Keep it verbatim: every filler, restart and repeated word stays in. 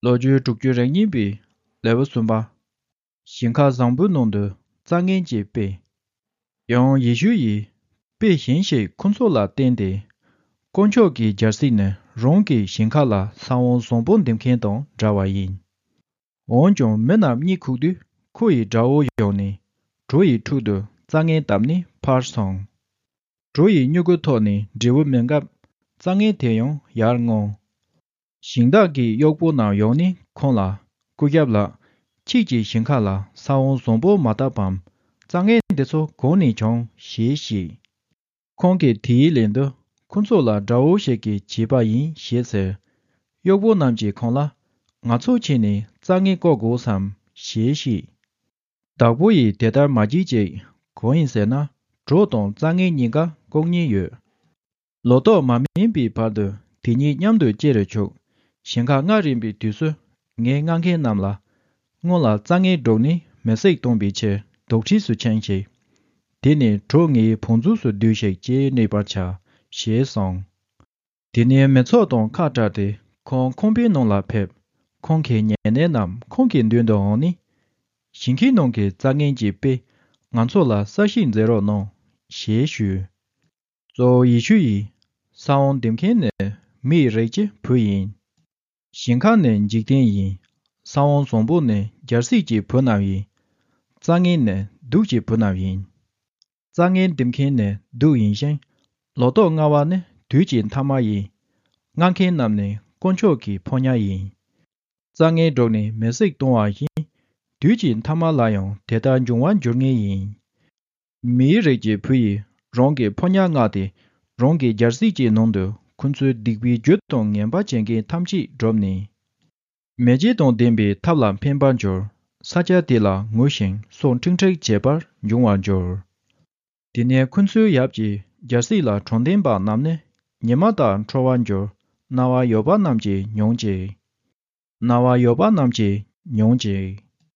ལོ་རྒྱུས་དྲུག་ཅུ་རེ་གཉིས་པའི་ལེའུ་གསུམ་པ། ཞིང་ཁ་བཟང་པོའི་ནང་དུ་རྩྭ་ངན་གྱི་དཔེ། ཡང་ཡེ་ཤུ་ཡིས་དཔེ་གཞན་ཞིག་ཁོ་ཚོ་ལ་བསྟན་ཏེ། དཀོན་མཆོག་གི་རྒྱལ་སྲིད་ནི་རང་གི་ཞིང་ཁ་ལ་ས་བོན་བཟང་པོ་འདེབས་མཁན་དང་འདྲ་བ་ཡིན། འོན་ཀྱང་མི་རྣམས་གཉིད་ཁུག་དུས་ཁོ་ཡི་དགྲ་བོ་ཡོང་ནས་གྲོ་ཡི་ཕྲུ་གུ་རྩྭ་ངན་བཏབ་ནས་ཕར་སོང་། གྲོ་ཡི་མྱུ་གུ་ཐོགས་ནས་འབྲས་བུ་སྨིན་སྐབས་རྩྭ་ངན་དེ་ཡང་ཡར་སྔོན། ཞིང་བདག་གི་གཡོག་པོ་རྣམས་ཡོང་ནས་ཁོང་ལ། སྐུ་ཞབས་ལགས། ཁྱེད་ཀྱི་ཞིང་ཁ་ལ་ས་བོན་བཟང་པོ་མ་བཏབ་བམ། རྩྭ་ངན་འདི་ཚོ་གང་ནས་བྱུང་ཞེས་བཤད། ཁོང་གིས་དེའི་ལན་དུ་ཁོ་ཚོ་ལ་དགྲ་བོ་ཞིག་གིས་བྱས་པ་ཡིན་ཞེས་ཟེར། གཡོག་པོ་རྣམས་ཀྱིས་ཁོང་ལ། ང་ཚོ་ཕྱིན་ནས་རྩྭ་ངན་བཀོག་དགོས་སམ་ཞེས་བཤད། བདག་པོ་ཡིས་དེ་ལྟར་མ་བགྱིད་ཅིག། གང་ཡིན་ཟེར་ན། གྲོ་དང་རྩྭ་ངན་གཉིས་ཀ་བཀོག་ཉེན་ཡོད། ལོ་ཏོག་མ་སྨིན་པའི་བར་དུ་དེ་གཉིས་མཉམ་དུ་སྐྱེ་རུ་ཆུག། ཞིང་ཁ་རྔ་རིམ་པའི་དུས་སུ་ངས་རྔ་མཁན་རྣམས་ལ། སྔོན་ལ་རྩྭ་ངན་བསྒྲུགས་ནས་མེ་བསྲེགས་གཏོང་བའི་ཕྱིར་དོག་ཁྲིས་སུ་ཕྱིན་ཞིག། དེ་ནས་གྲོ་ངའི་བང་མཛོད་སུ་སྡུས་ཤིག་ཅེས་སྨྲས་པར་བྱ་ཞེས་གསུངས། དེ་ནས་མི་ཚོགས་དང་ཁ་བྲལ་ཏེ་ཁོང་ཁང་པའི་ནང་ལ་ཕེབས། ཁོང་གི་ཉེ་གནས་རྣམས་ཁོང་གི་མདུན་དུ་འོངས་ནས། ཞིང་ཁའི་ནང་གི་རྩྭ་ངན་གྱི་དཔེ་ང་ཚོ་ལ་གསལ་བཤད་མཛད་རོགས་གནང་ཞེས་ཞུས། གཙོ་བོ་ཡེ་ཤུ་ཡིས། ས་བོན་འདེབས་མཁན་ནི་མིའི་རིགས་ཀྱི་བུ་ཡིན། ཞིང་ཁ་ནི་འཇིག་རྟེན་ཡིན། ས་བོན་བཟང་པོ་ནི་རྒྱལ་སྲིད་ཀྱི་བུ་རྣམས་ཡིན། རྩྭ་ངན་ནི་བདུད་ཀྱི་བུ་རྣམས་ཡིན། རྩྭ་ངན་འདེབས་མཁན་ནི་བདུད་ཡིན་ཞིང་། ལོ་ཏོག་རྔ་བ་ནི་དུས་ཀྱི་མཐའ་མ་ཡིན། རྔ་མཁན་རྣམས་ནི་དཀོན་མཆོག་གི་ཕོ་ཉ་ཡིན། རྩྭ་ངན་བསྒྲུགས་ནས་མེ་བསྲེགས་གཏོང་བ་བཞིན། དུས་ཀྱི་མཐའ་མ་ལ་ཡང་དེ་ལྟར་འབྱུང་བར་འགྱུར་ངེས་ཡིན། མིའི་རིགས་ཀྱི་བུ་ཡིས་རང་གི་ཕོ་ཉ་མངགས་ཏེ། རང་གི་རྒྱལ་སྲིད་ཀྱི་ནང་དུ་ཁོ་ཚོའི་སྡིག་པའི་རྒྱུ་དང་ངན་པ་བྱེད་མཁན་ཐམས་ཅད་བསྒྲུབས་ནས། མེ་ལྕེ་དང་ལྡན་པའི་ཐབ་ལ་འཕེན་པར་འགྱུར། ས་ཆ་དེ་ལ་ངུ་ཞིང་སོ་འཁྲིག་འཁྲིག་བྱེད་པར་འབྱུང་བར་འགྱུར། དེ་ནས་ཁོ་ཚོའི་ཡབ་ཀྱི་རྒྱལ་སྲིད་ལ་དྲང་བདེན་པ་རྣམས་ནི་ཉི་མ་ལྟར་འཕྲོ་བར་འགྱུར། རྣ་བ་ཡོད་པ་རྣམས་ཀྱིས་མྱོང་ཅིག། རྣ་བ་ཡོད་པ་རྣམས་ཀྱིས་མྱོང་ཅིག།